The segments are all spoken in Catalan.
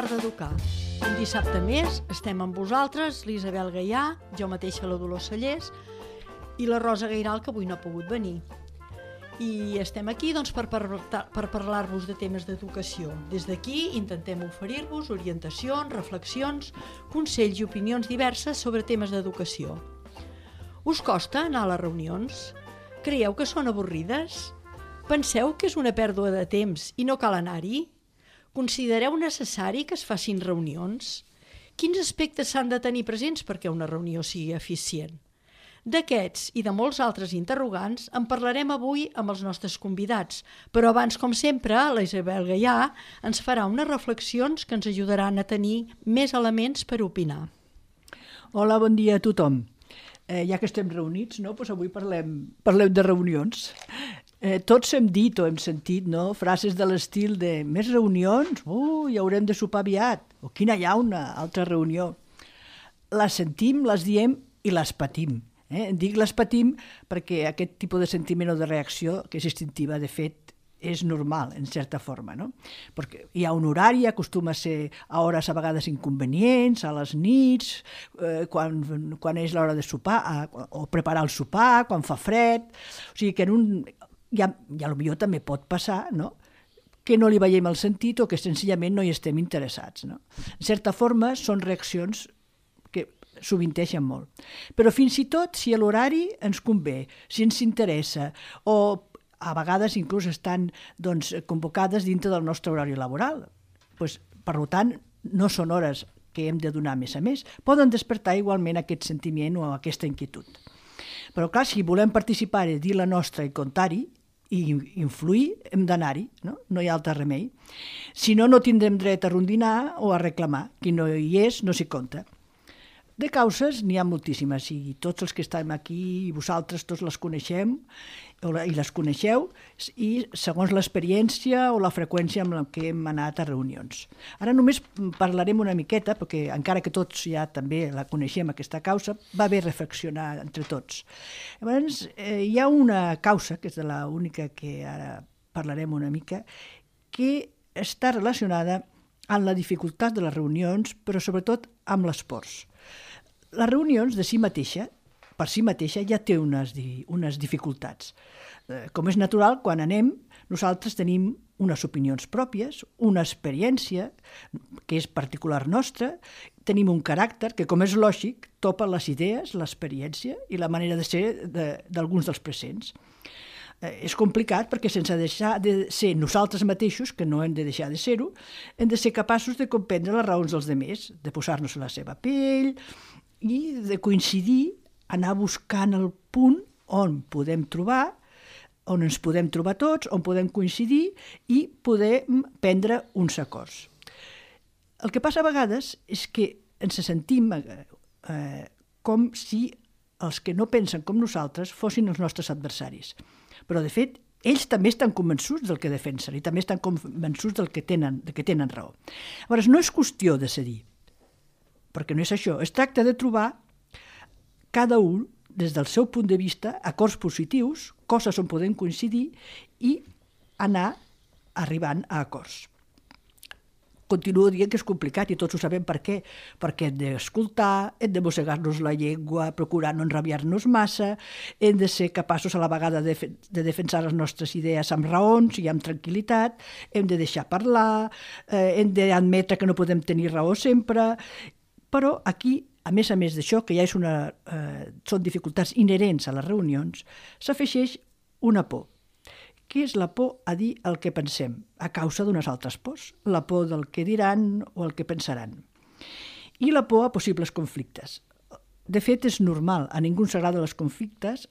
l'art d'educar. Un dissabte més estem amb vosaltres, l'Isabel Gaià, jo mateixa la Dolors Sallés i la Rosa Gairal, que avui no ha pogut venir. I estem aquí per parlar-vos de temes d'educació. Des d'aquí intentem oferir-vos orientacions, reflexions, consells i opinions diverses sobre temes d'educació. Us costa anar a les reunions? Creieu que són avorrides? Penseu que és una pèrdua de temps i no cal anar-hi? Considereu necessari que es facin reunions? Quins aspectes s'han de tenir presents perquè una reunió sigui eficient? D'aquests i de molts altres interrogants en parlarem avui amb els nostres convidats, però abans, com sempre, la Isabel Gaià ens farà unes reflexions que ens ajudaran a tenir més elements per opinar. Hola, bon dia a tothom. Ja que estem reunits, no? Avui parlem de reunions. Tots hem dit o hem sentit frases de l'estil de més reunions? Ja haurem de sopar aviat. O quina llauna, altra reunió. Les sentim, les diem i les patim. Dic les patim perquè aquest tipus de sentiment o de reacció, que és instintiva, de fet, és normal, en certa forma, no? Perquè hi ha un horari, acostuma a ser a hores a vegades inconvenients, a les nits, quan és l'hora de sopar, o preparar el sopar, quan fa fred. O sigui que ja potser també pot passar, no?, que no li veiem el sentit o que senzillament no hi estem interessats, no? En certa forma, són reaccions que sovinteixen molt. Però fins i tot, si l'horari ens convé, si ens interessa, o a vegades inclús estan convocades dintre del nostre horari laboral. Per tant, no són hores que hem de donar més a més. Poden despertar igualment aquest sentiment o aquesta inquietud. Però clar, si volem participar i dir la nostra i comptar-hi i influir, hem d'anar-hi, no? No hi ha altre remei. Si no, no tindrem dret a rondinar o a reclamar. Qui no hi és, no s'hi compta. De causes n'hi ha moltíssimes i tots els que estem aquí i vosaltres tots les coneixem i les coneixeu i segons l'experiència o la freqüència amb la que hem anat a reunions. Ara només parlarem una miqueta perquè encara que tots ja també la coneixem aquesta causa, va bé reflexionar entre tots. Llavors, hi ha una causa, que és de l'única que ara parlarem una mica, que està relacionada amb la dificultat de les reunions, però sobretot amb l'esforç. Les reunions de si mateixa, per si mateixa, ja té unes dificultats. Com és natural, quan anem, nosaltres tenim unes opinions pròpies, una experiència que és particular nostra, tenim un caràcter que, com és lògic, topa les idees, l'experiència i la manera de ser d'alguns dels presents. És complicat perquè sense deixar de ser nosaltres mateixos, que no hem de deixar de ser-ho, hem de ser capaços de comprendre les raons dels altres, de posar-nos a la seva pell i de coincidir, anar buscant el punt on podem trobar, on ens podem trobar tots, on podem coincidir i poder prendre uns acords. El que passa a vegades és que ens sentim com si els que no pensen com nosaltres fossin els nostres adversaris. Però, de fet, ells també estan convençuts del que defensen i també estan convençuts del que tenen raó. Llavors, no és qüestió de cedir, perquè no és això. Es tracta de trobar cada un, des del seu punt de vista, acords positius, coses on podem coincidir i anar arribant a acords. Continuo dient que és complicat i tots ho sabem per què. Perquè hem d'escoltar, hem de mossegar-nos la llengua, procurar no enrabiar-nos massa, hem de ser capaços a la vegada de defensar les nostres idees amb raons i amb tranquil·litat, hem de deixar parlar, hem d'admetre que no podem tenir raó sempre, però aquí, a més d'això, que ja són dificultats inherents a les reunions, s'afegeix una por. Què és la por a dir el que pensem, a causa d'unes altres pors? La por del que diran o el que pensaran. I la por a possibles conflictes. De fet, és normal, a ningú ens agrada els conflictes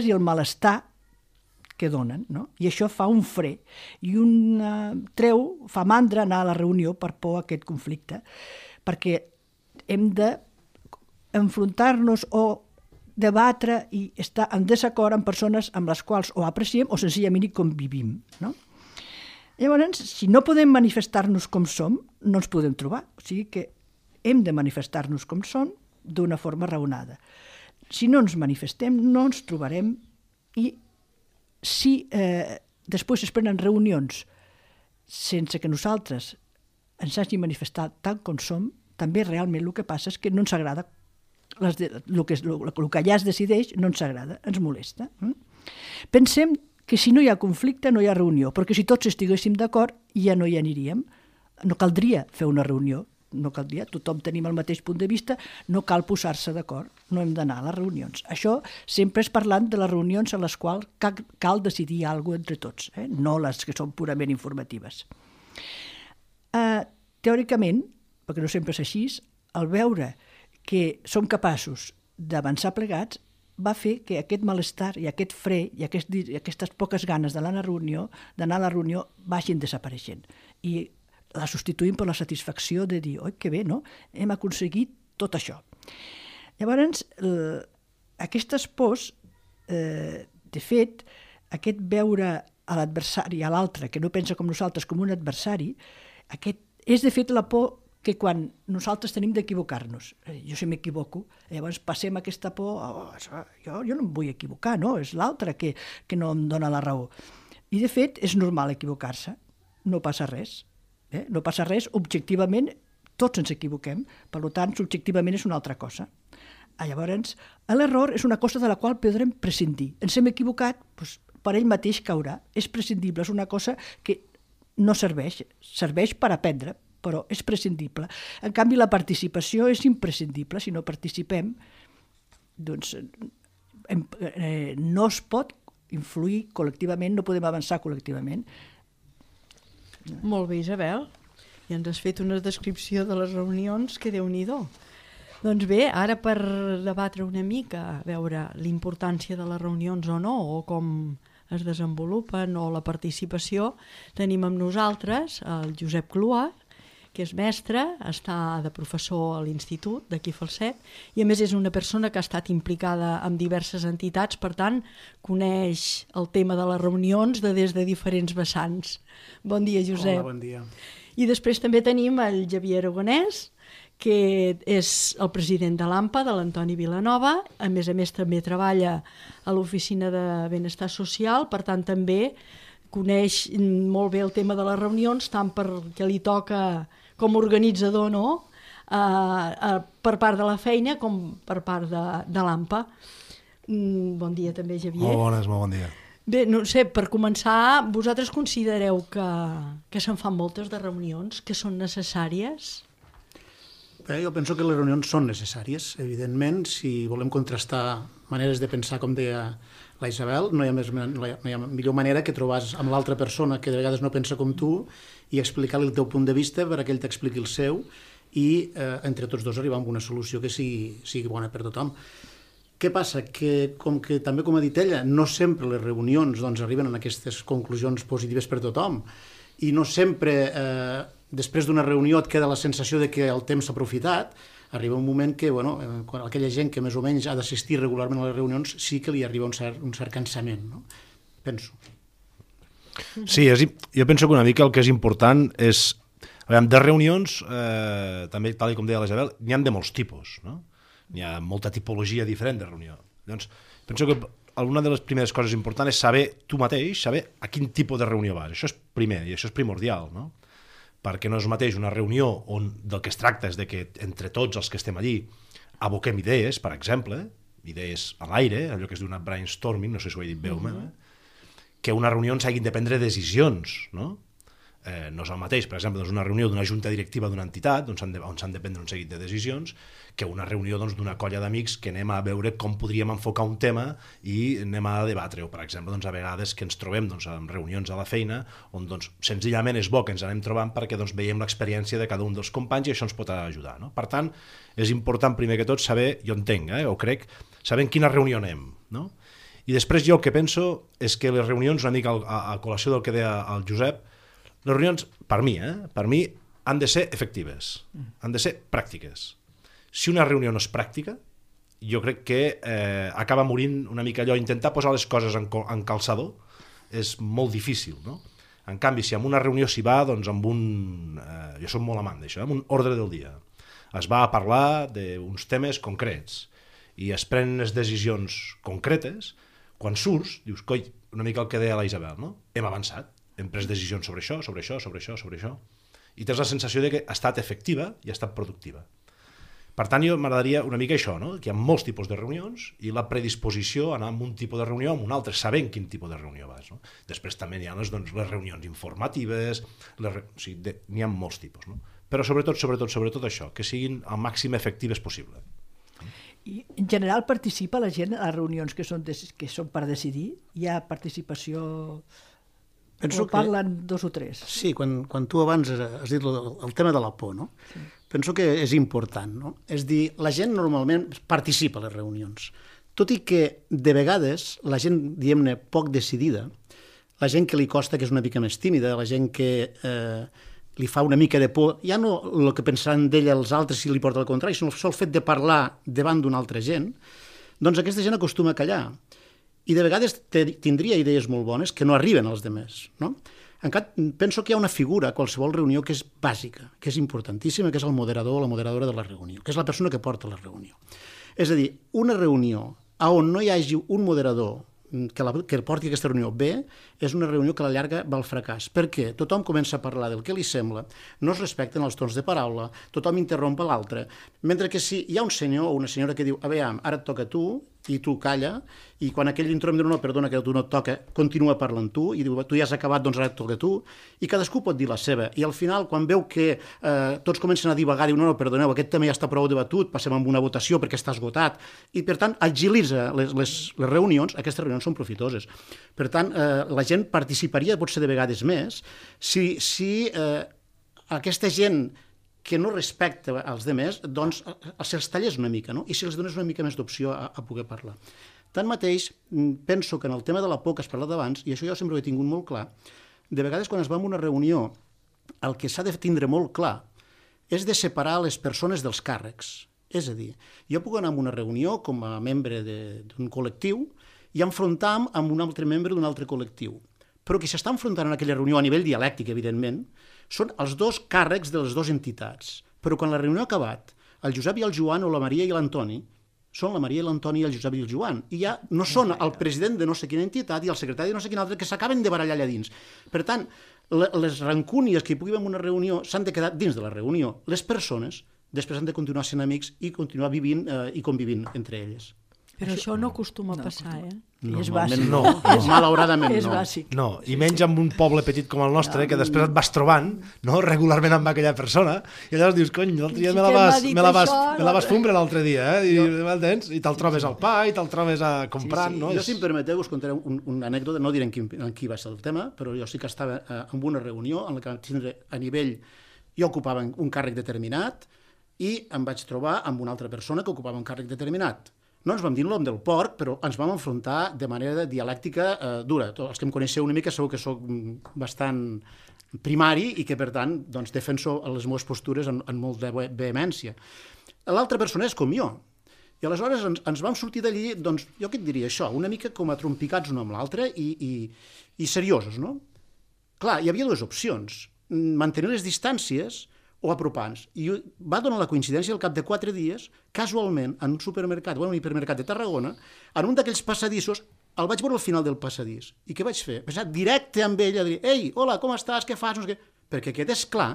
i el malestar que donen, no? I això fa un fre i fa mandra anar a la reunió per por a aquest conflicte, perquè hem d'enfrontar-nos o debatre i estar en desacord amb persones amb les quals o apreciem o senzillament hi convivim, no? Llavors, si no podem manifestar-nos com som, no ens podem trobar. O sigui que hem de manifestar-nos com som d'una forma raonada. Si no ens manifestem, no ens trobarem i si després es prenen reunions sense que nosaltres ens hagi manifestat tant com som, també realment el que passa és que no ens agrada. El que allà es decideix no ens agrada, ens molesta. Pensem que si no hi ha conflicte no hi ha reunió, perquè si tots estiguéssim d'acord ja no hi aniríem. No caldria fer una reunió, no caldria, tothom tenim el mateix punt de vista, no cal posar-se d'acord, no hem d'anar a les reunions. Això sempre és parlant de les reunions en les quals cal decidir alguna cosa entre tots, no les que són purament informatives. Teòricament, perquè no sempre és així, al veure que som capaços d'avançar plegats, va fer que aquest malestar i aquest fre i aquestes poques ganes d'anar a la reunió vagin desapareixent. I la substituïm per la satisfacció de dir, oi, que bé, no? Hem aconseguit tot això. Llavors, aquestes pors, de fet, aquest veure a l'adversari, a l'altre, que no pensa com nosaltres, com un adversari, és de fet la por que quan nosaltres tenim d'equivocar-nos. Jo si m'equivoco, llavors passem aquesta por, jo no em vull equivocar, no? És l'altre que no em dona la raó. I de fet és normal equivocar-se, no passa res. No passa res, objectivament tots ens equivoquem, per tant, subjectivament és una altra cosa. Llavors, l'error és una cosa de la qual podrem prescindir. Ens hem equivocat, doncs, per ell mateix caurà. És prescindible, és una cosa que no serveix per aprendre, però és prescindible. En canvi, la participació és imprescindible. Si no participem, doncs no es pot influir col·lectivament, no podem avançar col·lectivament. Molt bé, Isabel. I ens has fet una descripció de les reunions que Déu-n'hi-do. Doncs bé, ara per debatre una mica, a veure l'importància de les reunions o no, o com es desenvolupen, o la participació, tenim amb nosaltres el Josep Clua, que és mestre, està de professor a l'Institut d'aquí Falset, i a més és una persona que ha estat implicada en diverses entitats, per tant, coneix el tema de les reunions des de diferents vessants. Bon dia, Josep. Hola, bon dia. I després també tenim el Javier Aragonès, que és el president de l'AMPA, de l'Antoni Vilanova, a més també treballa a l'Oficina de Benestar Social, per tant també coneix molt bé el tema de les reunions, tant perquè li toca com a organitzador, no? Per part de la feina com per part de l'AMPA. Bon dia també, Javier. Molt bon dia. Bé, no sé, per començar, vosaltres considereu que se'n fan moltes de reunions, que són necessàries? Bé, jo penso que les reunions són necessàries, evidentment. Si volem contrastar maneres de pensar, com deia la Isabel, no hi ha millor manera que trobar amb l'altra persona que de vegades no pensa com tu i explicar-li el teu punt de vista per a que ell t'expliqui el seu i entre tots dos arribar a una solució que sigui bona per tothom. Què passa? Que també com ha dit ella, no sempre les reunions arriben a aquestes conclusions positives per tothom i no sempre després d'una reunió et queda la sensació de que el temps s'ha aprofitat. Arriba un moment que quan aquella gent que més o menys ha d'assistir regularment a les reunions sí que li arriba un cert cansament, no? Penso. Sí, jo penso que una mica el que és important és... De reunions, també, tal com deia l'Isabel, n'hi ha de molts tipus, no? N'hi ha molta tipologia diferent de reunió. Llavors, penso que una de les primeres coses importants és saber tu mateix, saber a quin tipus de reunió vas. Això és primer i això és primordial, no? Perquè no és mateix una reunió on del que es tracta és de que entre tots els que estem allí aboquem idees, per exemple, idees a l'aire, allò que es diu una brainstorming, no sé si ho he dit bé o que una reunió on s'hagin de prendre decisions, no? No és el mateix, per exemple, una reunió d'una junta directiva d'una entitat on s'han de prendre un seguit de decisions que una reunió d'una colla d'amics que anem a veure com podríem enfocar un tema i anem a debatre, o per exemple a vegades que ens trobem en reunions a la feina on senzillament és bo que ens anem trobant perquè veiem l'experiència de cada un dels companys i això ens pot ajudar, no? Per tant, és important primer que tot saber, jo entenc, o crec, saber en quina reunió anem, no? I després jo el que penso és que les reunions, una mica a col·lació del que deia el Josep, les reunions, per mi, han de ser efectives, han de ser pràctiques. Si una reunió no és pràctica, jo crec que acaba morint una mica allò, intentar posar les coses en calçador és molt difícil, no? En canvi, si en una reunió s'hi va, amb jo soc molt amant d'això, amb un ordre del dia. Es va a parlar d'uns temes concrets i es prenen les decisions concretes. Quan surts, dius, coi, una mica el que deia la Isabel, no? Hem avançat, hem pres decisions sobre això, sobre això, sobre això, sobre això, i tens la sensació de que ha estat efectiva i ha estat productiva. Per tant, m'agradaria una mica això, no? Que hi ha molts tipus de reunions i la predisposició a anar a un tipus de reunió o a un altre, sabent quin tipus de reunió vas. No? Després també hi ha les reunions informatives, n'hi ha molts tipus. No? Però sobretot això, que siguin el màxim efectives possible. I en general participa la gent a les reunions que són per decidir? Hi ha participació... Penso o parlen dos o tres? Sí, quan tu abans has dit el tema de la por, no? Sí. Penso que és important, no? És dir, la gent normalment participa a les reunions, tot i que de vegades la gent, diguem-ne, poc decidida, la gent que li costa, que és una mica més tímida, la gent que li fa una mica de por, ja no el que pensaran d'ella els altres si li porta el contrari, sinó el fet de parlar davant d'una altra gent, doncs aquesta gent acostuma a callar. I de vegades tindria idees molt bones que no arriben als demés, no? En canvi, penso que hi ha una figura a qualsevol reunió que és bàsica, que és importantíssima, que és el moderador o la moderadora de la reunió, que és la persona que porta la reunió. És a dir, una reunió on no hi hagi un moderador que porti aquesta reunió bé, és una reunió que a la llarga va al fracàs. Per què? Tothom comença a parlar del que li sembla, no es respecten els tons de paraula, tothom interromp l'altre, mentre que si hi ha un senyor o una senyora que diu, aviam, ara et toca a tu, i tu calla, i quan aquell interromp diu, no, perdona, que a tu no et toca, continua parlant tu, i diu, tu ja has acabat, doncs ara et toca a tu, i cadascú pot dir la seva, i al final, quan veu que tots comencen a divagar, diu, no, perdoneu, aquest tema ja està prou debatut, passem amb una votació perquè està esgotat, i per tant, agilitza les reunions, aquestes reunions són profitoses. Per tant, la gent participaria, potser de vegades més, si aquesta gent que no respecta els demés, doncs se'ls tallés una mica, no? I si els dones una mica més d'opció a poder parlar. Tanmateix, penso que en el tema de la por que has parlat abans, i això jo sempre ho he tingut molt clar, de vegades quan es va a una reunió, el que s'ha de tindre molt clar és de separar les persones dels càrrecs. És a dir, jo puc anar a una reunió com a membre d'un col·lectiu i enfrontar-me amb un altre membre d'un altre col·lectiu. Però qui s'està enfrontant en aquella reunió a nivell dialèctic, evidentment, són els dos càrrecs de les dues entitats. Però quan la reunió ha acabat, el Josep i el Joan o la Maria i l'Antoni són la Maria i l'Antoni i el Josep i el Joan. I ja no són el president de no sé quina entitat i el secretari de no sé quina altra que s'acaben de barallar allà dins. Per tant, les rancúnies que hi pugui haver en una reunió s'han de quedar dins de la reunió. Les persones després han de continuar sent amics i continuar vivint i convivint entre elles. Però això no acostuma a passar, eh? És bàsic. No. Malauradament És no. bàsic. No, i menys en un poble petit com el nostre, que després et vas trobant, no, regularment amb aquella persona, i llavors dius, cony, l'altre dia me la vas fumbre l'altre dia, i te'l trobes al pa, i te'l trobes comprant, no? Jo, si em permeteu, us contaré una anècdota, no diré en qui va ser el tema, però jo sí que estava en una reunió en la que vam tindre a nivell, jo ocupava un càrrec determinat, i em vaig trobar amb una altra persona que ocupava un càrrec determinat. No ens vam dir el nom del porc, però ens vam enfrontar de manera dialèctica dura. Tots els que em coneixeu una mica segur que soc bastant primari i que, per tant, doncs, defenso les meves postures amb molt de vehemència. L'altra persona és com jo. I aleshores ens vam sortir d'allí, doncs, jo què et diria això, una mica com a trompicats un amb l'altre i seriosos, no? Clar, hi havia dues opcions. Mantenir les distàncies o apropar-nos. I va donar la coincidència al cap de 4 dies, casualment, en un supermercat, o en un hipermercat de Tarragona, en un d'aquells passadissos, el vaig veure al final del passadís. I què vaig fer? Vaig anar directe amb ell a dir, ei, hola, com estàs, què fas? No sé què. Perquè aquest és clar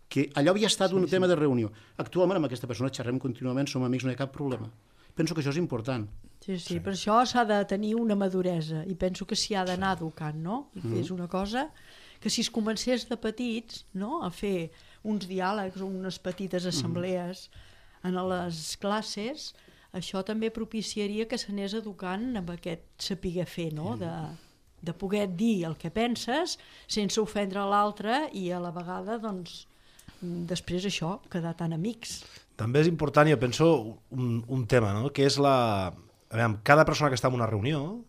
que allò havia estat un tema de reunió. Actualment amb aquesta persona xerrem contínuament, som amics, no hi ha cap problema. Penso que això és important. Sí, per això s'ha de tenir una maduresa i penso que s'hi ha d'anar educant, no? I és una cosa que si es comencés de petits, no?, a fer uns diàlegs o unes petites assemblees en les classes, això també propiciaria que s'anés educant amb aquest saber fer, no?, de poder dir el que penses sense ofendre l'altre i a la vegada, doncs, després això, quedar tan amics. També és important, jo penso, un tema, no?, que és cada persona que està en una reunió,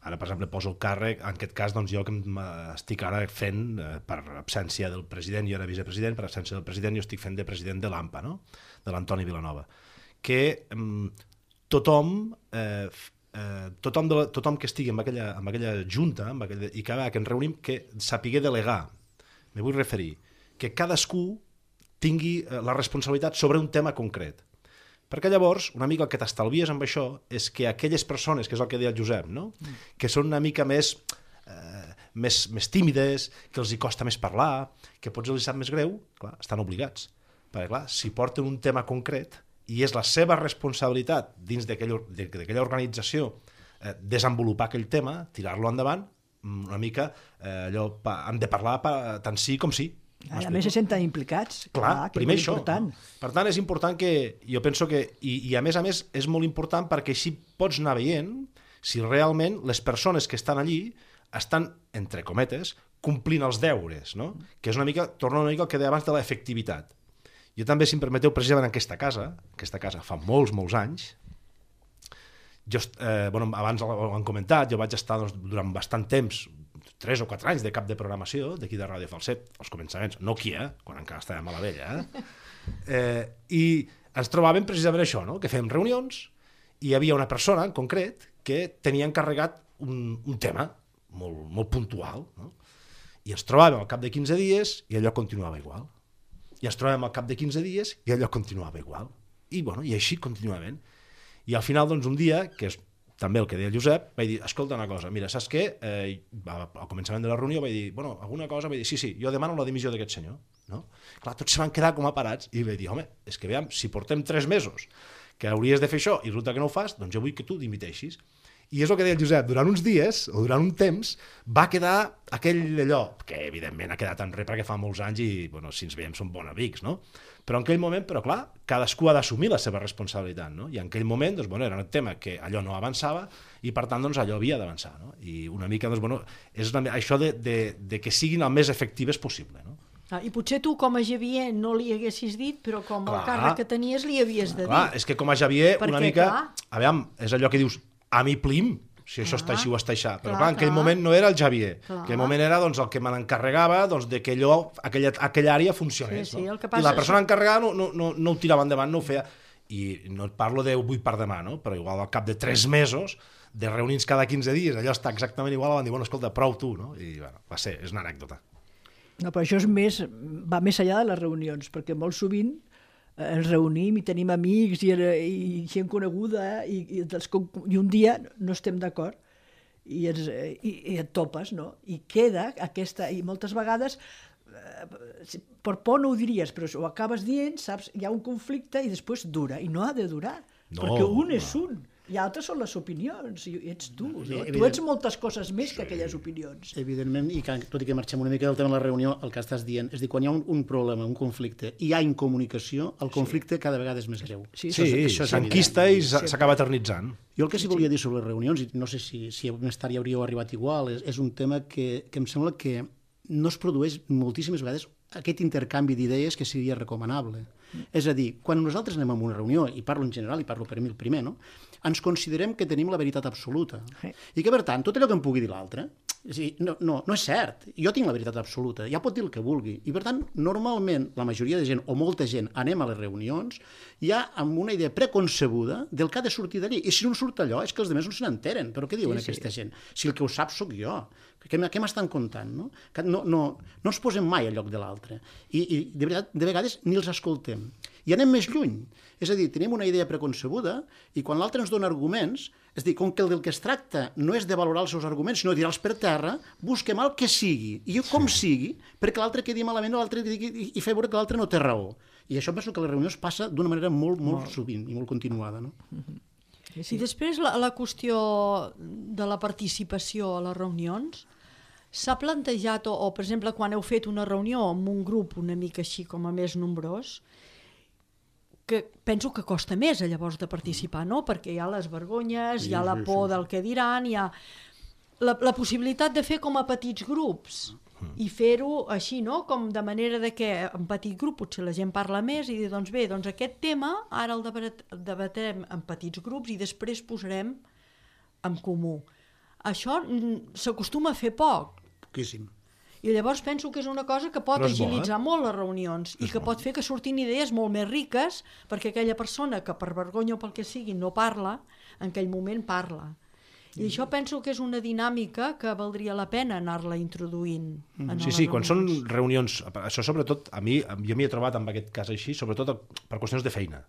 ara, per exemple, poso el càrrec, en aquest cas, doncs, jo que estic ara fent, per absència del president, jo era vicepresident, per absència del president, jo estic fent de president de l'AMPA, no?, de l'Antoni Vilanova, que tothom que estigui en aquella junta i que ens reunim, que sapigué delegar. Me vull referir que cadascú tingui la responsabilitat sobre un tema concret. Perquè llavors, una mica el que t'estalvies amb això és que aquelles persones, que és el que deia el Josep, no?, que són una mica més més tímides, que els hi costa més parlar, que potser els sap més greu, clar, estan obligats. Perquè, clar, si porten un tema concret i és la seva responsabilitat dins d'aquella organització desenvolupar aquell tema, tirar-lo endavant, una mica allò, han de parlar tant sí com sí. A més se senten implicats. Clar, primer això. Important. Per tant, és important que, jo penso que, i a més és molt important perquè així pots anar veient si realment les persones que estan allí estan, entre cometes, complint els deures, no? Que és una mica, torna una mica al que deia abans de l'efectivitat. Jo també, si em permeteu, precisament en aquesta casa fa molts anys, abans ho han comentat, jo vaig estar durant bastant temps, 3 o 4 anys de cap de programació d'aquí de Ràdio Falset, als començaments, no aquí, quan encara estàvem a la vella, i ens trobàvem precisament això, no? Que fèiem reunions i hi havia una persona en concret que tenia encarregat un tema molt puntual, no? I ens trobàvem al cap de 15 dies i allò continuava igual. I ens trobàvem al cap de 15 dies i allò continuava igual. I així continuament. I al final, doncs, un dia, que és també el que deia el Josep, vaig dir, escolta una cosa, mira, saps què? Al començament de la reunió vaig dir, alguna cosa, vaig dir, sí, jo demano la dimissió d'aquest senyor. No? Clar, tots se van quedar com a parats i vaig dir, home, és que veiem, si portem 3 mesos que hauries de fer això i resulta que no ho fas, doncs jo vull que tu dimiteixis. I és el que deia el Josep, durant uns dies, o durant un temps, va quedar aquell allò, que evidentment ha quedat enrere perquè fa molts anys i, si ens veiem som bons amics, no? Però en aquell moment, clar, cadascú ha d'assumir la seva responsabilitat, no? I en aquell moment, era un tema que allò no avançava i, per tant, allò havia d'avançar, no? I una mica, és això de que siguin el més efectives possible, no? I potser tu, com a Xavier, no li haguessis dit, però com el càrrec que tenies li havies de dir. Clar, és que com a Xavier, una mica... Aviam, és allò que dius, a mi plim, si això està així o està així. Però clar, en aquell moment no era el Xavier. En aquell moment era el que me n'encarregava de que aquella àrea funcionés. I la persona encarregada no ho tirava endavant, no ho feia. I no et parlo de avui per demà, però igual al cap de 3 mesos, de reunir-nos cada 15 dies, allò està exactament igual, van dir, escolta, prou tu, no? I va ser, és una anècdota. No, però això va més enllà de les reunions, perquè molt sovint ens reunim i tenim amics i gent coneguda i un dia no estem d'acord i et topes, no? I queda aquesta... I moltes vegades, per por no ho diries, però ho acabes dient, saps? Hi ha un conflicte i després dura, i no ha de durar, perquè un és un. I altres són les opinions, i ets tu. No? Tu ets moltes coses més que aquelles opinions. Evidentment, i tot i que marxem una mica del tema de la reunió, el que estàs dient és dir, quan hi ha un problema, un conflicte, i hi ha incomunicació, el conflicte cada vegada és més greu. Sí, s'enquista i s'acaba eternitzant. Jo el que sí volia dir sobre les reunions, i no sé si més tard ja hauríeu arribat igual, és un tema que em sembla que no es produeix moltíssimes vegades aquest intercanvi d'idees que seria recomanable. És a dir, quan nosaltres anem a una reunió, i parlo en general, i parlo per mi el primer, no? Ens considerem que tenim la veritat absoluta. I que, per tant, tot allò que em pugui dir l'altre, no és cert. Jo tinc la veritat absoluta, ja pot dir el que vulgui. I, per tant, normalment, la majoria de gent, o molta gent, anem a les reunions ja amb una idea preconcebuda del que ha de sortir d'allí. I si no surt allò, és que els altres no se n'enteren. Però què diuen aquesta gent? Si el que ho sap sóc jo. Què m'estan contant? No ens posem mai al lloc de l'altre. I de veritat, de vegades ni els escoltem. I anem més lluny. És a dir, tenim una idea preconcebuda i quan l'altre ens dona arguments, és a dir, com que el del que es tracta no és de valorar els seus arguments, sinó de tirar-los per terra, busquem el que sigui, i com sigui, perquè l'altre quedi malament o l'altre digui i fer veure que l'altre no té raó. I això penso que a les reunions passa d'una manera molt sovint i molt continuada, no? I després la qüestió de la participació a les reunions s'ha plantejat, o per exemple, quan heu fet una reunió amb un grup una mica així com a més nombrós, que penso que costa més llavors de participar, no? Perquè hi ha les vergonyes, hi ha la por del que diran, hi ha la possibilitat de fer com a petits grups i fer-ho així, no? Com de manera de que en petit grup potser la gent parla més i dir, doncs bé, aquest tema ara el debatrem en petits grups i després posarem en comú. Això s'acostuma a fer poc. Poquíssim. I llavors penso que és una cosa que pot agilitzar molt les reunions i que pot fer que surtin idees molt més riques perquè aquella persona que per vergonya o pel que sigui no parla, en aquell moment parla. I això penso que és una dinàmica que valdria la pena anar-la introduint. Sí, quan són reunions, això sobretot, jo m'hi he trobat en aquest cas així, sobretot per qüestions de feina.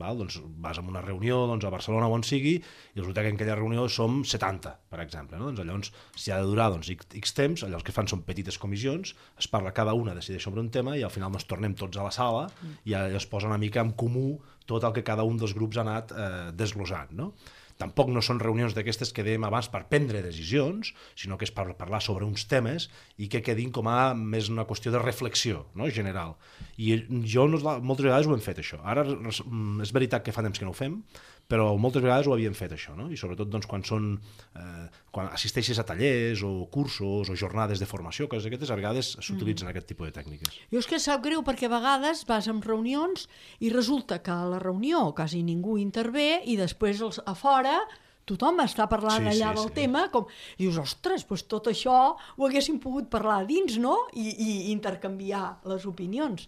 val? Doncs vas a una reunió a Barcelona o on sigui i resulta que en aquella reunió som 70, per exemple. No? Doncs llavors, si ha de durar X temps, allò que fan són petites comissions, es parla, cada una decideix sobre un tema i al final tornem tots a la sala i es posa una mica en comú tot el que cada un dels grups ha anat desglossant. No? Tampoc no són reunions d'aquestes que dèiem abans per prendre decisions, sinó que és per parlar sobre uns temes i que quedin com a més una qüestió de reflexió, no? General. I jo moltes vegades ho hem fet, això. Ara és veritat que fa temps que no ho fem, però moltes vegades ho havíem fet, això, no? I sobretot quan assisteixes a tallers o cursos o jornades de formació, coses d'aquestes, a vegades s'utilitzen aquest tipus de tècniques. Jo és que sap greu perquè a vegades vas en reunions i resulta que a la reunió quasi ningú intervé i després a fora tothom està parlant allà del tema, i dius, ostres, doncs tot això ho haguéssim pogut parlar dins, no? I intercanviar les opinions.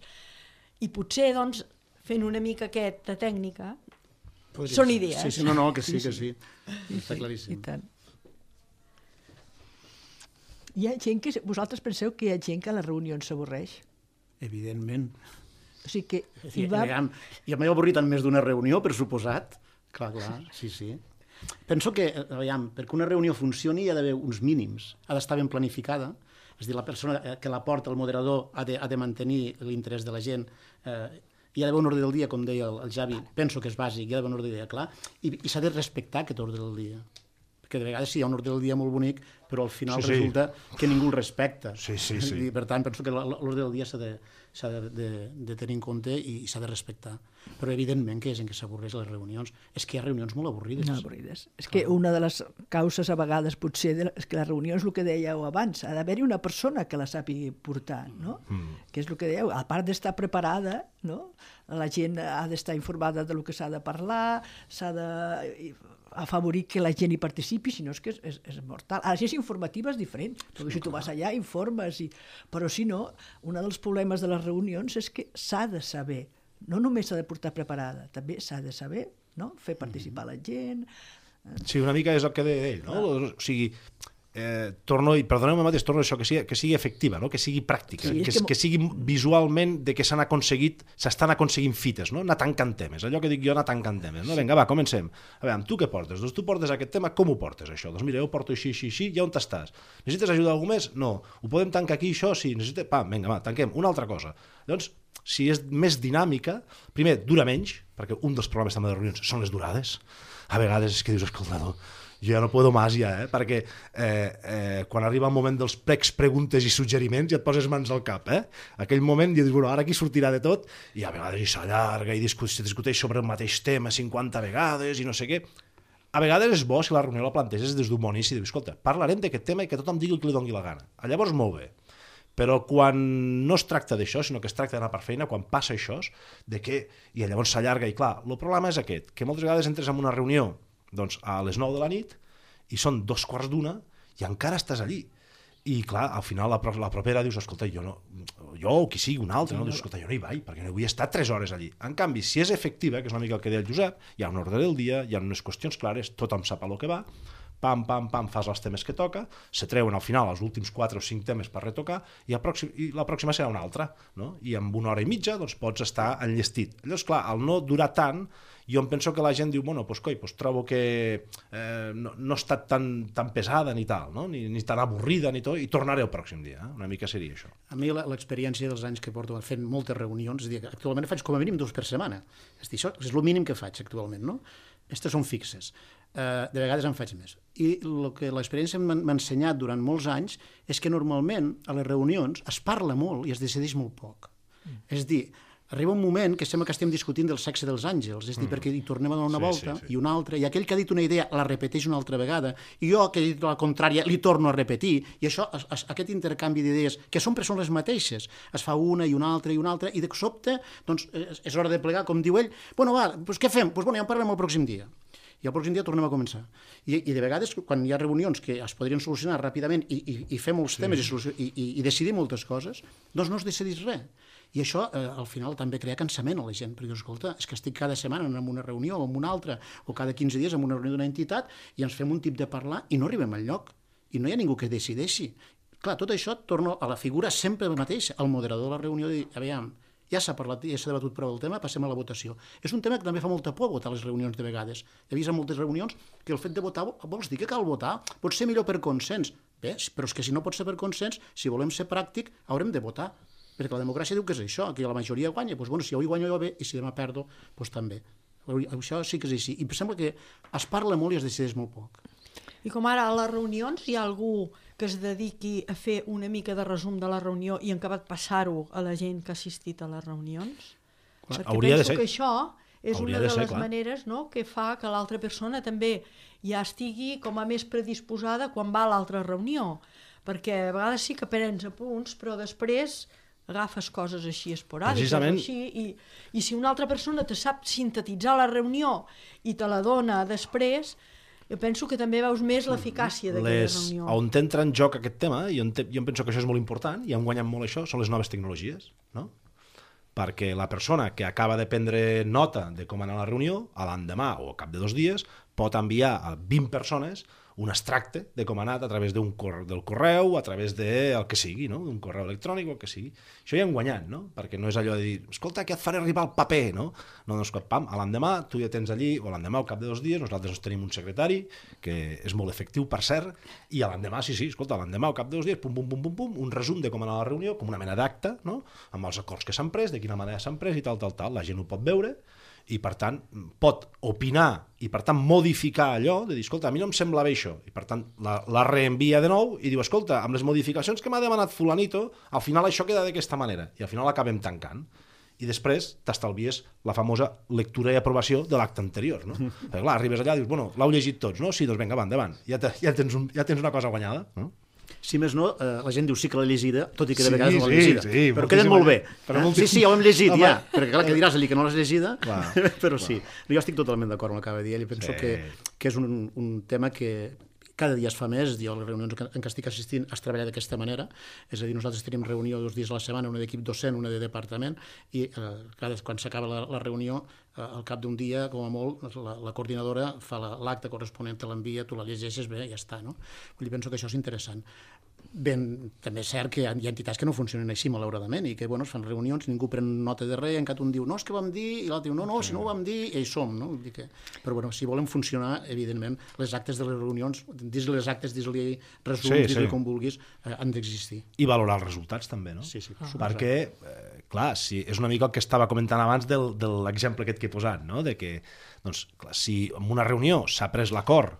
I potser, doncs, fent una mica aquesta tècnica, són idees. Sí, no, que sí. Està claríssim. I tant. Hi ha gent que... Vosaltres penseu que hi ha gent que a les reunions s'avorreix? Evidentment. O sigui que... Jo m'he avorrit en més d'una reunió, per suposat. Clar, sí. Penso que, perquè una reunió funcioni hi ha d'haver uns mínims. Ha d'estar ben planificada. És a dir, la persona que la porta, el moderador, ha de mantenir l'interès de la gent. Hi ha d'haver un ordre del dia, com deia el Javi, penso que és bàsic, hi ha d'haver un ordre del dia clar, i s'ha de respectar aquest ordre del dia. Perquè de vegades sí, hi ha un ordre del dia molt bonic, però al final resulta que ningú el respecta. Sí. I per tant, penso que l'ordre del dia s'ha de tenir en compte i s'ha de respectar. Però evidentment que hi ha gent que s'avorreix a les reunions. És que hi ha reunions molt avorrides. No, avorrides. És que una de les causes a vegades potser és que les reunions, el que dèieu abans, ha d'haver-hi una persona que la sàpiga portar, no? Que és el que dèieu, a part d'estar preparada, no? La gent ha d'estar informada del que s'ha de parlar, s'ha d'afavorir que la gent hi participi, si no és que és mortal. Ara, si és informativa és diferent, perquè si tu vas allà informes, però si no, un dels problemes de les reunions és que s'ha de saber, no només s'ha de portar preparada, també s'ha de saber, no? Fer participar la gent. Sí, una mica és el que deia ell, no? O sigui, perdoneu-me mateix, torno a això, que sigui efectiva, no? Que sigui pràctica, que sigui visualment de que s'estan aconseguint fites, no? Anar tancant temes, allò que dic jo, anar tancant temes, no? Vinga, va, comencem. A veure, tu què portes? Doncs tu portes aquest tema, com ho portes, això? Doncs mira, jo ho porto així, i on estàs? Necessites ajuda a algú més? No. Ho podem tancar aquí, això? Sí. Vinga, va, tanquem. Una altra cosa. Llavors, si és més dinàmica, primer, dura menys, perquè un dels problemes també de reunions són les durades. A vegades és que dius, escolta, no, jo ja no puedo más perquè quan arriba el moment dels plecs, preguntes i suggeriments ja et poses mans al cap, aquell moment dius, bueno, ara aquí sortirà de tot, i a vegades s'allarga i se discuteix sobre el mateix tema 50 vegades i no sé què. A vegades és bo si la reunió la planteges des d'un bon inici, dius, escolta, parlarem d'aquest tema i que tothom digui el que li doni la gana. Llavors, molt bé. Però quan no es tracta d'això, sinó que es tracta d'anar per feina, quan passa això, i llavors s'allarga, i clar, el problema és aquest, que moltes vegades entres en una reunió doncs, a les 9 de la nit i són 2:15 i encara estàs allí. I clar, al final la propera dius, escolta, jo o qui sigui, un altre, no? Dius, escolta, jo no hi vaig, perquè no vull estar 3 hores allí. En canvi, si és efectiva, que és una mica el que deia el Josep, hi ha un ordre del dia, hi ha unes qüestions clares, tothom sap a lo que va, pam, fas els temes que toca, se treuen al final els últims 4 o 5 temes per retocar i la pròxima serà una altra, no? I en 1 hora i mitja doncs, pots estar enllestit. Llavors, clar, al no durar tant, jo em penso que la gent diu, bueno, doncs trobo que no ha estat tan pesada ni tal, no? ni tan avorrida ni tot, i tornaré el pròxim dia. Una mica seria això. A mi l'experiència dels anys que porto fent moltes reunions, és a dir, actualment faig com a mínim 2 per setmana. És a dir, això és el mínim que faig actualment, no? Aquestes són fixes. De vegades en faig més. I el que l'experiència m'ha ensenyat durant molts anys és que normalment a les reunions es parla molt i es decideix molt poc. És a dir, arriba un moment que sembla que estem discutint del sexe dels àngels, és a dir, perquè hi tornem a donar una volta i una altra, i aquell que ha dit una idea la repeteix una altra vegada, i jo que he dit la contrària li torno a repetir, i això, aquest intercanvi d'idees, que sempre són les mateixes, es fa una i una altra, i de sobte, doncs, és hora de plegar, com diu ell, bueno, va, doncs què fem? Doncs bueno, ja en parlem el pròxim dia. I el pròxim dia tornem a començar. I de vegades, quan hi ha reunions que es podrien solucionar ràpidament i fer molts temes i decidir moltes coses, doncs no es decideix res. I això, al final, també crea cansament a la gent, perquè, escolta, és que estic cada setmana en una reunió o en una altra, o cada 15 dies en una reunió d'una entitat, i ens fem un tip de parlar i no arribem enlloc. I no hi ha ningú que decideixi. Clar, tot això torna a la figura sempre el mateix, el moderador de la reunió, de dir, aviam, ja s'ha parlat, ja s'ha debatut prou el tema, passem a la votació. És un tema que també fa molta por votar a les reunions de vegades. He vist en moltes reunions que el fet de votar, vols dir que cal votar? Pot ser millor per consens. Bé, però és que si no pot ser per consens, si volem ser pràctic, haurem de votar. Perquè la democràcia diu que és això, que la majoria guanya. Doncs, bueno, si avui guanyo jo bé i si demà perdo, doncs també. Això sí que és així. I em sembla que es parla molt i es decideix molt poc. I com ara a les reunions hi ha algú que es dediqui a fer una mica de resum de la reunió i en acabat passar-ho a la gent que ha assistit a les reunions? Perquè hauria de penso ser. que això és Hauria una de de ser, les clar. maneres, no?, que fa que l'altra persona també ja estigui com a més predisposada quan va a l'altra reunió. Perquè a vegades sí que prens apunts, però després agafes coses així esporàdiques. Precisament. Així, i si una altra persona te sap sintetitzar la reunió i te la dona després, jo penso que també veus més l'eficàcia d'aquella reunió. On entra en joc aquest tema, i jo penso que això és molt important, i han guanyat molt això, són les noves tecnologies, no? Perquè la persona que acaba de prendre nota de com anar a la reunió, a l'endemà o al cap de 2 dies, pot enviar a 20 persones un extracte de com ha anat a través del correu, a través del que sigui, no? Un correu electrònic o el que sigui. Això ja hem guanyat, no? Perquè no és allò de dir, escolta, que et faré arribar el paper, no? No, doncs, pam, a l'endemà tu ja tens allí, o l'endemà al cap de 2 dies, nosaltres tenim un secretari, que és molt efectiu, per cert, i a l'endemà, sí, escolta, a l'endemà al cap de 2 dies, pum, pum, pum, pum, pum, un resum de com ha anat la reunió, com una mena d'acte, no? Amb els acords que s'han pres, de quina manera s'han pres i tal, la gent ho pot veure, i per tant pot opinar i per tant modificar allò, de dir, escolta, a mi no em sembla bé això, i per tant la reenvia de nou i diu, escolta, amb les modificacions que m'ha demanat fulanito, al final això queda d'aquesta manera, i al final l'acabem tancant. I després t'estalvies la famosa lectura i aprovació de l'acte anterior, no? Perquè clar, arribes allà i dius, bueno, l'heu llegit tots, no? Sí, doncs vinga, va, endavant, ja tens una cosa guanyada, no? Si més no, la gent diu sí que l'ha llegida, tot i que de vegades no l'ha llegida. Sí, però queden molt bé. Sí, ja ho hem llegit, home, ja. Perquè clar, que diràs allí que no l'has llegida, però sí. Jo estic totalment d'acord amb el que acaba de dir ell i penso que és un tema que cada dia es fa més. Jo a les reunions en què estic assistint es treballa d'aquesta manera, és a dir, nosaltres tenim reunió 2 dies a la setmana, una d'equip docent, una de departament, i quan s'acaba la reunió, al cap d'un dia, com a molt, la coordinadora fa l'acte corresponent, te l'envia, tu la llegeixes bé, ja està, no? Vull dir, penso que això és interessant. Ben, també és cert que hi ha entitats que no funcionen així, malauradament, i que bueno, es fan reunions, ningú pren nota de res, encara un diu, no, és que vam dir, i l'altre diu, no, si no ho vam dir, i hi som, no? Vull dir que... Però bueno, si volem funcionar, evidentment, les actes de les reunions, dis-li les actes, dis-li resum, dis-li com vulguis, han d'existir. I valorar els resultats també, no? Sí, perquè, clar, és una mica el que estava comentant abans de l'exemple aquest que he posat, no? De que, doncs, clar, si en una reunió s'ha pres l'acord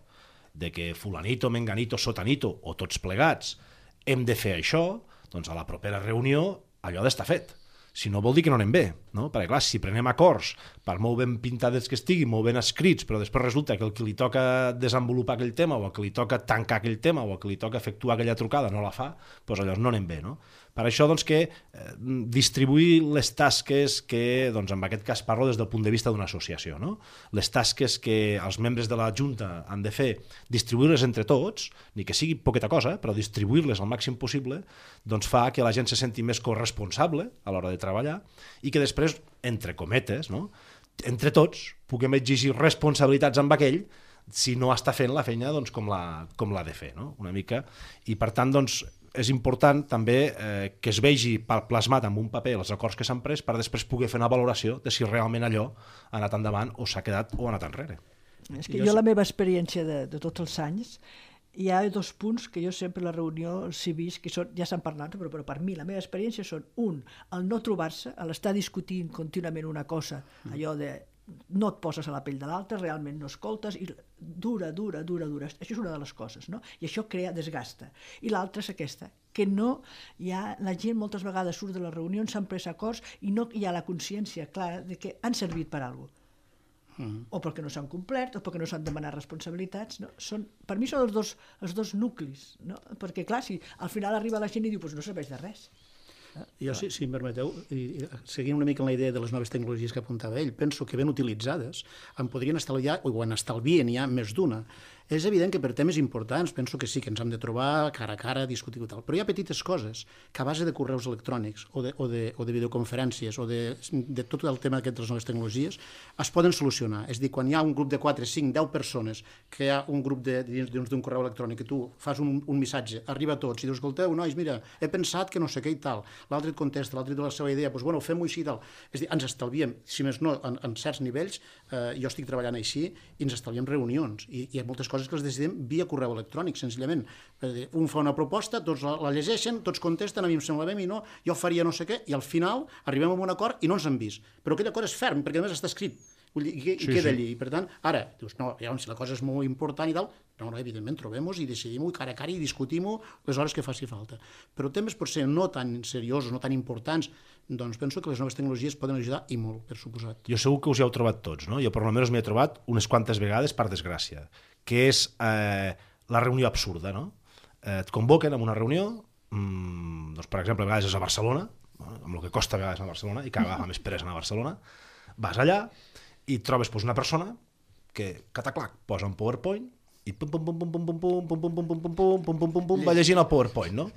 de que fulanito, menganito, sotanito, o tots plegats, hem de fer això, doncs a la propera reunió allò ha d'estar fet. Si no vol dir que no anem bé, no? Perquè clar, si prenem acords per molt ben pintades que estiguin, molt ben escrits, però després resulta que el que li toca desenvolupar aquell tema o el que li toca tancar aquell tema o el que li toca efectuar aquella trucada no la fa, doncs llavors no anem bé, no? Per això doncs, que distribuir les tasques que, doncs, en aquest cas parlo des del punt de vista d'una associació, no? Les tasques que els membres de la Junta han de fer, distribuir-les entre tots, ni que sigui poqueta cosa, però distribuir-les al màxim possible, doncs fa que la gent se senti més corresponsable a l'hora de treballar i que després, entre cometes, no? Entre tots puguem exigir responsabilitats amb aquell si no està fent la feina doncs, com l'ha de fer, no? Una mica. I per tant, doncs, és important també que es vegi plasmat en un paper els acords que s'han pres per després poder fer una valoració de si realment allò ha anat endavant o s'ha quedat o ha anat enrere. És que jo la meva experiència de tots els anys, hi ha 2 punts que jo sempre a la reunió els he vist, que són, ja s'han parlat, però per mi la meva experiència són, el no trobar-se, l'estar discutint contínuament una cosa, allò de no et poses a la pell de l'altre, realment no escoltes, i dura. Això és una de les coses, no? I això crea desgasta. I l'altra és aquesta, que no hi ha, la gent moltes vegades surt de les reunions, s'han pres acords i no hi ha la consciència clara de que han servit per alguna cosa. O perquè no s'han complert, o perquè no s'han demanat responsabilitats. No? Per mi són els dos nuclis, no? Perquè clar, si al final arriba la gent i diu, pues no serveix de res. Jo, si em permeteu, seguint una mica en la idea de les noves tecnologies que apuntava ell, penso que ben utilitzades en podrien estalviar, o en estalvien ja més d'una. És evident que per temes importants penso que sí, que ens hem de trobar cara a cara, discutir i tal, però hi ha petites coses que a base de correus electrònics o de videoconferències o de tot el tema aquest de les noves tecnologies es poden solucionar. És a dir, quan hi ha un grup de 4, 5, 10 persones, que hi ha un grup dins d'un correu electrònic que tu fas un missatge, arriba a tots i dius, escolteu, nois, mira, he pensat que no sé què i tal, l'altre et contesta, l'altre té la seva idea, doncs bueno, fem-ho així i tal. És a dir, ens estalviem, si més no, en certs nivells, jo estic treballant així i ens estalviem reunions i hi ha moltes coses que les decidim via correu electrònic, senzillament. Un fa una proposta, tots la llegeixen, tots contesten, a mi em sembla bé, a mi no, jo faria no sé què, i al final arribem a un acord i no ens han vist. Però aquell acord és ferm, perquè a més està escrit. I queda allí. I per tant, ara, dius, no, si la cosa és molt important i tal, no, evidentment, trobem-nos i decidim-ho cara a cara i discutim-ho les hores que faci falta. Però temes potser no tan seriosos, no tan importants, doncs penso que les noves tecnologies poden ajudar i molt, per suposat. Jo segur que us hi heu trobat tots, no? Jo per almenys m'hi he trobat unes quantes vegades, per desgràcia, que és la reunió absurda, no? Et convoquen a una reunió, doncs, per exemple, a vegades és a Barcelona, amb el que costa a vegades a Barcelona, i cada vegada més peresa a Barcelona, vas allà i trobes una persona que, cataclac, posa un PowerPoint i pum pum pum pum pum pum pum pum pum pum pum pum pum pum pum pum va llegint el PowerPoint, no?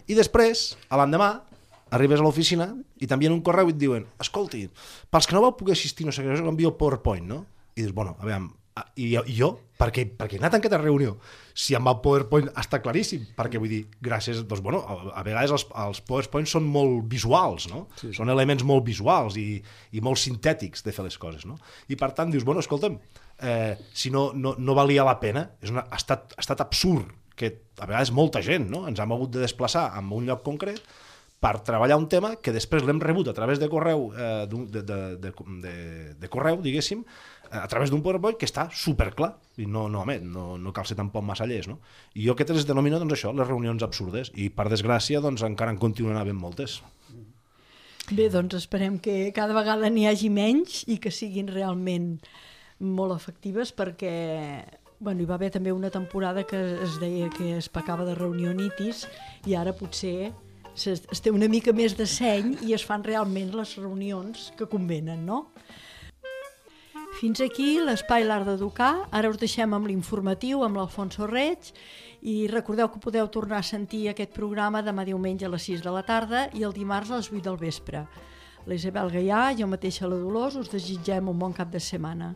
I després, a l'endemà, arribes a l'oficina i t'envien un correu i et diuen, escolti, pels que no vau poder assistir, no sé què, us envio el PowerPoint, no? I dius, bueno, a veure, i jo, per què he anat en aquesta reunió? Si amb el PowerPoint està claríssim, perquè vull dir, gràcies, doncs bueno, a vegades els PowerPoints són molt visuals, no? Sí. Són elements molt visuals i molt sintètics de fer les coses, no? I per tant dius, bueno, escolta'm, si no valia la pena, ha estat absurd que a vegades molta gent, no? Ens hem hagut de desplaçar en un lloc concret per treballar un tema que després l'hem rebut a través de correu, de correu, diguéssim, a través d'un PowerPoint que està superclar i no cal ser tampoc massa llest, no? I jo aquest les denomino, doncs això, les reunions absurdes, i per desgràcia doncs encara en continuen havent moltes. Bé, doncs esperem que cada vegada n'hi hagi menys i que siguin realment molt efectives, perquè hi va haver també una temporada que es deia que es pecava de reunionitis i ara potser es té una mica més de seny i es fan realment les reunions que convenen, no? Fins aquí l'espai L'Art d'Educar. Ara us deixem amb l'informatiu, amb l'Alfonso Reig, i recordeu que podeu tornar a sentir aquest programa demà diumenge a les 6 de la tarda i el dimarts a les 8 del vespre. La Isabel Gaià, jo mateixa la Dolors, us desitgem un bon cap de setmana.